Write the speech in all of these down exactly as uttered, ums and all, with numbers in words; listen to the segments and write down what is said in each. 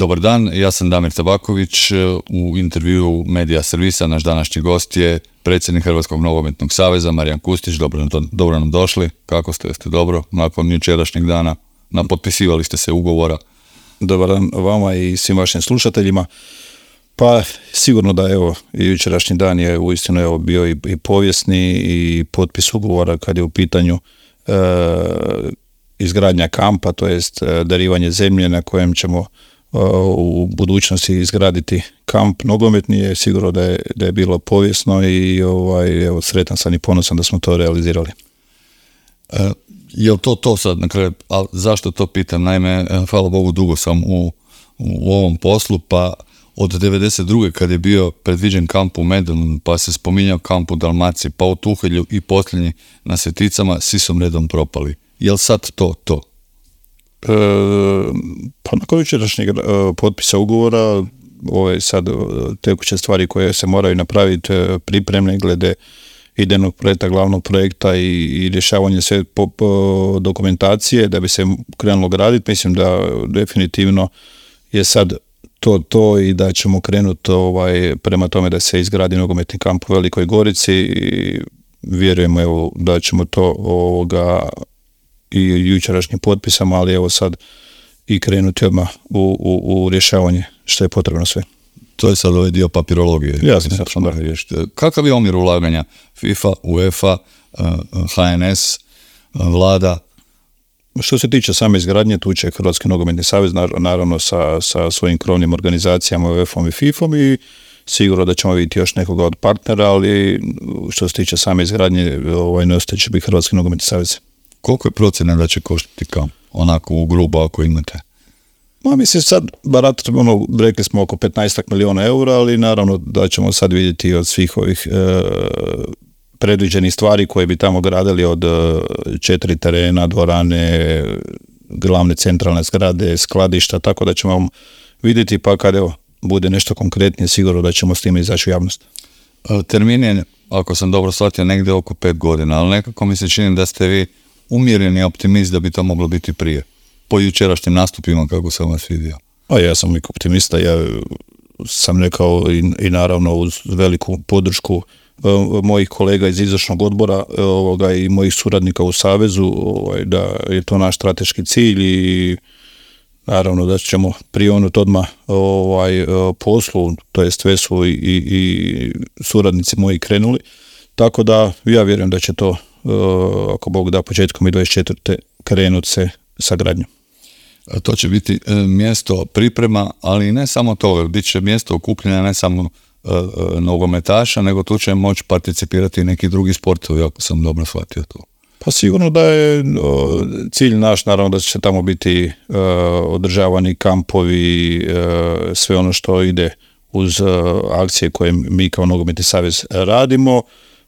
Dobar dan, ja sam Damir Tabaković. U intervjuu Medija servisa naš današnji gost je predsjednik Hrvatskog nogometnog saveza Marijan Kustić. Dobro, dobro nam došli. Kako ste? Jeste dobro? Nakon jučerašnjeg dana potpisivali ste se ugovora. Dobar dan vama i svim vašim slušateljima. Pa sigurno da evo jučerašnji dan je uistinu evo bio i, i povijesni i potpis ugovora kad je u pitanju e, izgradnja kampa, to jest e, darivanje zemlje na kojem ćemo e, u budućnosti izgraditi kamp nogometni. Je sigurno da je, da je bilo povijesno i ovaj, evo, sretan sam i ponosan da smo to realizirali. E, je li to to sad na kraju? A zašto to pitam? Naime, hvala Bogu, dugo sam u, u ovom poslu, pa od devedeset druge kad je bio predviđen kamp u Medanu, pa se spominjao kamp u Dalmaciji, pa u Tuhelju i posljednji na Sveticama, svi su redom propali. Je li sad to to? E, pa nakon jučerašnjeg e, potpisa ugovora, ove sad tekuće stvari koje se moraju napraviti, e, pripremne glede idejnog projekta, glavnog projekta i, i rješavanje sve po, po dokumentacije da bi se krenulo graditi, mislim da definitivno je sad to to i da ćemo krenuti ovaj, prema tome da se izgradi nogometni kamp u Velikoj Gorici i vjerujemo evo, da ćemo to ovoga i jučerašnjim potpisama, ali evo sad i krenuti odmah u, u, u rješavanje što je potrebno sve. To je sad ovaj dio papirologije. Jasno, jasno, da. Kakav je omjer ulaganja FIFA, UEFA, H N S, vlada? Što se tiče same izgradnje, tu će Hrvatski nogometni savez naravno sa, sa svojim krovnim organizacijama U E F-om i FIFA-om i sigurno da ćemo vidjeti još nekoga od partnera, ali što se tiče same izgradnje, ovaj nositelj će biti Hrvatski nogometni savez. Koliko je procjena da će koštati kamp? Onako u grubo ako imate? Ma mislim sad, barat, ono, rekli smo oko petnaest milijuna eura, ali naravno da ćemo sad vidjeti od svih ovih e, predviđenih stvari koje bi tamo gradili, od četiri terena, dvorane, glavne centralne zgrade, skladišta, tako da ćemo vidjeti, pa kad evo bude nešto konkretnije, sigurno da ćemo s time izaći u javnost. Termin je, ako sam dobro shvatio, negdje oko pet godina, ali nekako mi se čini da ste vi umjereni optimist da bi to moglo biti prije. Po jučerašnjim nastupima, kako sam vas vidio. A ja sam uvijek optimista, ja sam rekao i, i naravno uz veliku podršku mojih kolega iz izvršnog odbora ovoga, i mojih suradnika u Savezu, ovaj, da je to naš strateški cilj i naravno da ćemo prionuti odmah ovaj, poslu, to jest sve su i, i, i suradnici moji krenuli, tako da ja vjerujem da će to, ako Bog da, početkom i dvadeset četvrte krenuti se sa gradnjom. To će biti mjesto priprema, ali ne samo to, bit će mjesto okupljanja ne samo nogometaša, nego tu će moći participirati i neki drugi sportovi, ako sam dobro shvatio to. Pa sigurno da je o, cilj naš, naravno da će tamo biti o, održavani kampovi, o, sve ono što ide uz o, akcije koje mi kao Nogometni savez radimo.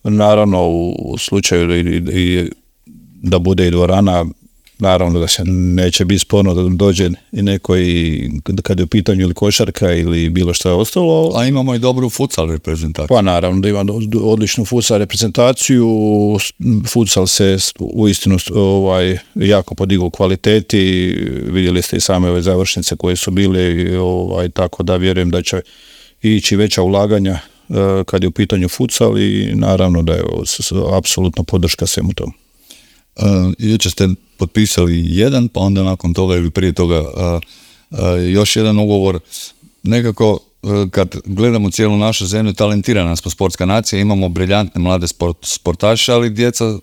Naravno u, u slučaju i, i, da bude i dvorana, naravno da se neće biti sporno da dođe i neko i kad je u pitanju ili košarka ili bilo što je ostalo. A imamo i dobru futsal reprezentaciju. Pa naravno da imamo odličnu futsal reprezentaciju. Futsal se uistinu ovaj, jako podigao u kvaliteti. Vidjeli ste i same ove završnice koje su bile, ovaj, tako da vjerujem da će ići veća ulaganja kad je u pitanju futsal i naravno da je apsolutno podrška svemu tomu. Uh, jučer ste potpisali jedan, pa onda nakon toga ili prije toga uh, uh, još jedan ugovor. Nekako uh, kad gledamo cijelu našu zemlju, talentirana smo sportska nacija, imamo briljantne mlade sport, sportaše, ali djeca uh,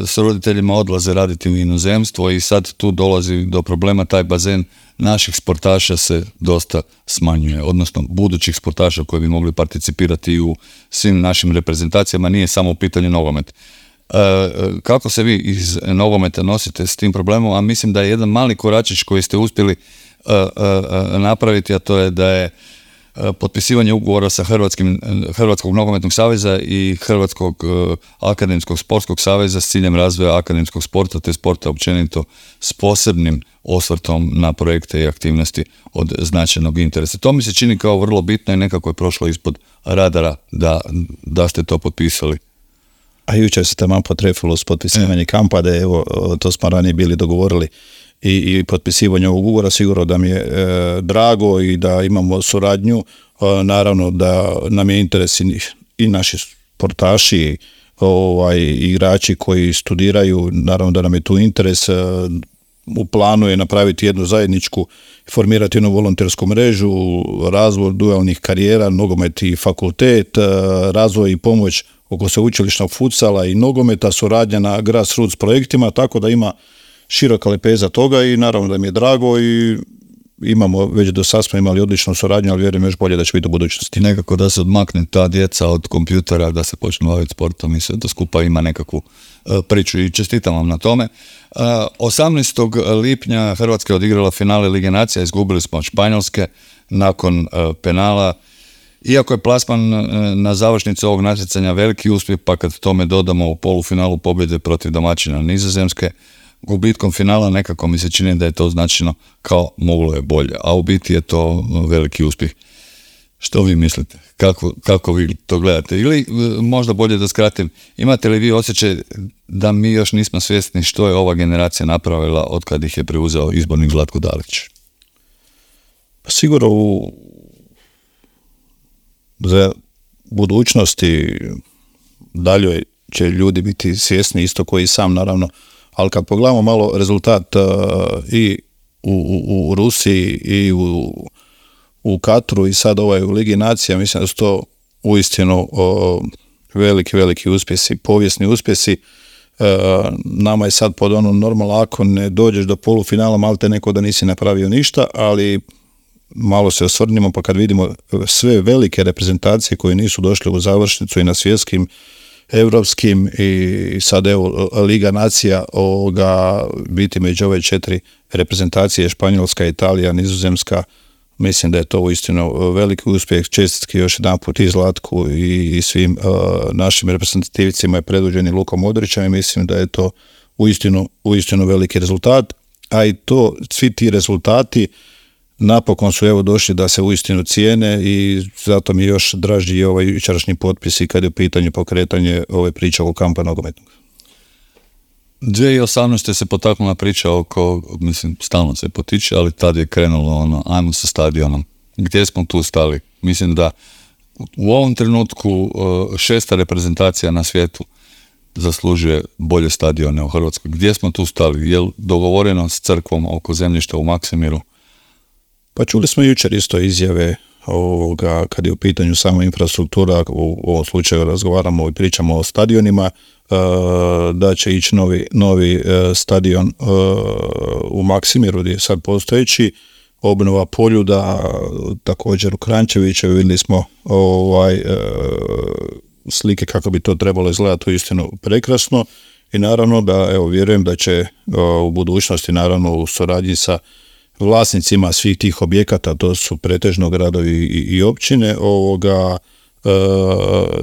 s roditeljima odlaze raditi u inozemstvo i sad tu dolazi do problema, taj bazen naših sportaša se dosta smanjuje, odnosno budućih sportaša koji bi mogli participirati u svim našim reprezentacijama, nije samo u pitanju nogomet. Uh, kako se vi iz nogometa nosite s tim problemom, a mislim da je jedan mali koračić koji ste uspjeli uh, uh, napraviti, a to je da je uh, potpisivanje ugovora sa Hrvatskim, Hrvatskog nogometnog saveza i Hrvatskog uh, akademskog sportskog saveza s ciljem razvoja akademskog sporta te sporta općenito s posebnim osvrtom na projekte i aktivnosti od značajnog interesa. To mi se čini kao vrlo bitno i nekako je prošlo ispod radara da, da ste to potpisali. A jučer se tamo potrefilo s potpisivanje kampa, da je, evo, to smo ranije bili dogovorili i, i potpisivanje ovog ugovora, sigurno da mi je e, drago i da imamo suradnju, e, naravno da nam je interes i, i naši sportaši, ovaj, igrači koji studiraju, naravno da nam je tu interes. E, u planu je napraviti jednu zajedničku, formirati jednu volontersku mrežu, razvoj dualnih karijera, nogomet i fakultet, razvoj i pomoć oko sveučilišnog futsala i nogometa, suradnja na grassroots projektima, tako da ima široka lepeza toga i naravno da mi je drago i imamo, već do sad smo imali odličnu suradnju, ali vjerujem još bolje da će biti u budućnosti. Nekako da se odmakne ta djeca od kompjutera, da se počne baviti sportom i sve to skupa ima nekakvu uh, priču i čestitam vam na tome. Uh, osamnaestog lipnja Hrvatska je odigrala finale Lige nacija, izgubili smo od Španjolske nakon uh, penala. Iako je plasman uh, na završnicu ovog natjecanja veliki uspjeh, pa kad tome dodamo u polufinalu pobjede protiv domaćina Nizozemske, gubitkom finala nekako mi se čini da je to značajno kao moglo je bolje, a u biti je to veliki uspjeh. Što vi mislite? Kako, kako vi to gledate? Ili možda bolje da skratim, imate li vi osjećaj da mi još nismo svjesni što je ova generacija napravila od kad ih je preuzeo izbornik Zlatko Dalić? Pa sigurno u za budućnosti dalje će ljudi biti svjesni isto koji sam naravno. Ali kad pogledamo malo rezultat uh, i u, u, u Rusiji i u, u Katru i sad ovaj u Ligi nacija, mislim da su to uistinu uh, veliki, veliki uspjesi, povijesni uspjesi. Uh, nama je sad pod ono normalno, ako ne dođeš do polufinala, malte neko da nisi napravio ništa, ali malo se osvrnimo pa kad vidimo sve velike reprezentacije koje nisu došle u završnicu i na svjetskim, europskim i sad evo Liga nacija ovoga biti među ove četiri reprezentacije, Španjolska, Italija, Nizozemska, mislim da je to uistinu veliki uspjeh. Čestitke još jedan put i Zlatku i, i svim uh, našim reprezentativcima je predvođeni Lukom Modrićem i mislim da je to uistinu, uistinu veliki rezultat, a i to, svi ti rezultati napokon su evo došli da se uistinu cijene i zato mi je još draži ovaj jučerašnji potpis i kad je u pitanju pokretanje ove priče oko kampa nogometnog. dvije tisuće osamnaeste se potaknula priča oko, mislim, stalno se potiče, ali tad je krenulo ono, ajmo sa stadionom. Gdje smo tu stali? Mislim da u ovom trenutku šesta reprezentacija na svijetu zaslužuje bolje stadione u Hrvatskoj. Gdje smo tu stali? Je li dogovoreno s crkvom oko zemljišta u Maksimiru? Pa čuli smo jučer isto izjave ovoga, kad je u pitanju sama infrastruktura, u ovom slučaju razgovaramo i pričamo o stadionima, da će ići novi, novi stadion u Maksimiru gdje je sad postojeći, obnova Poljuda, također u Kranjčeviću, vidjeli smo ovaj, slike kako bi to trebalo izgledati uistinu prekrasno i naravno da evo vjerujem da će u budućnosti naravno u suradnji sa vlasnicima svih tih objekata, to su pretežno gradovi i, i općine, ovoga, e,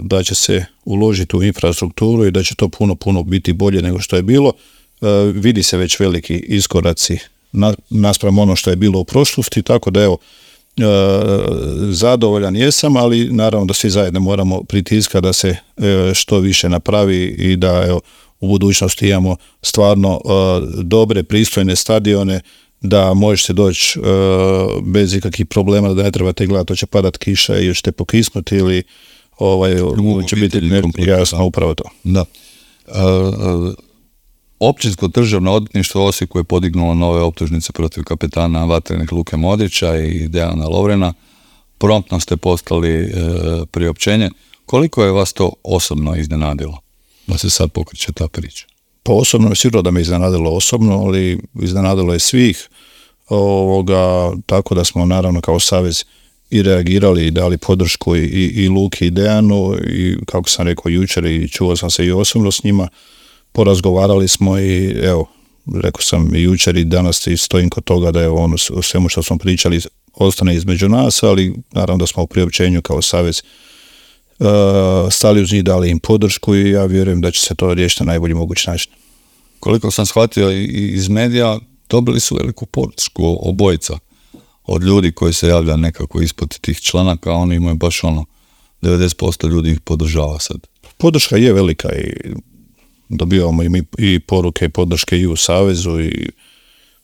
da će se uložiti u infrastrukturu i da će to puno, puno biti bolje nego što je bilo. E, vidi se već veliki iskoraci na, naspram ono što je bilo u prošlosti, tako da evo, e, zadovoljan jesam, ali naravno da svi zajedno moramo pritiskati da se e, što više napravi i da evo, u budućnosti imamo stvarno e, dobre, pristojne stadione, da možete doći uh, bez ikakvih problema, da ne trebate gledati, to će padat kiša i ćete pokisnuti ili ovaj, će biti jasno upravo to. Da. Uh, uh, Općinsko državno odvjetništvo u Osijeku je podignulo nove optužnice protiv kapetana Vatrenih Luke Modrića i Dejana Lovrena. Promptno ste postali uh, priopćenje. Koliko je vas to osobno iznenadilo da se sad pokreće ta priča? Pa osobno je sigurno da me iznenadilo osobno, ali iznenadilo je svih, ovoga, tako da smo naravno kao savez i reagirali i dali podršku i, i, i Luki i Dejanu i kako sam rekao jučer i čuo sam se i osobno s njima, porazgovarali smo i evo, rekao sam i jučer i danas i stojim kod toga da je ono o svemu što smo pričali ostane između nas, ali naravno da smo u priopćenju kao savez Uh, stali uz njih, dali im podršku i ja vjerujem da će se to riješiti na najbolji mogući način. Koliko sam shvatio iz medija, dobili su veliku podršku obojica od ljudi koji se javlja nekako ispod tih članaka, a oni imaju baš ono, devedeset posto ljudi ih podržava sad. Podrška je velika i dobivamo i mi i poruke i podrške i u savezu i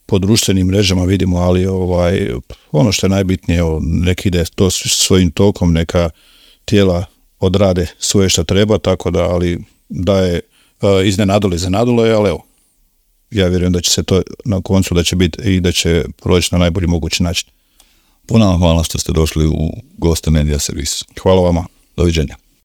po društvenim mrežama vidimo, ali ovaj, ono što je najbitnije, neki ide to svojim tokom, neka tijela odrade svoje što treba, tako da, ali da je iznenadilo, iznenadilo je, ali evo, ja vjerujem da će se to na koncu da će biti i da će proći na najbolji mogući način. Puno vam hvala što ste došli u goste Media Servisu. Hvala vama. Doviđenja.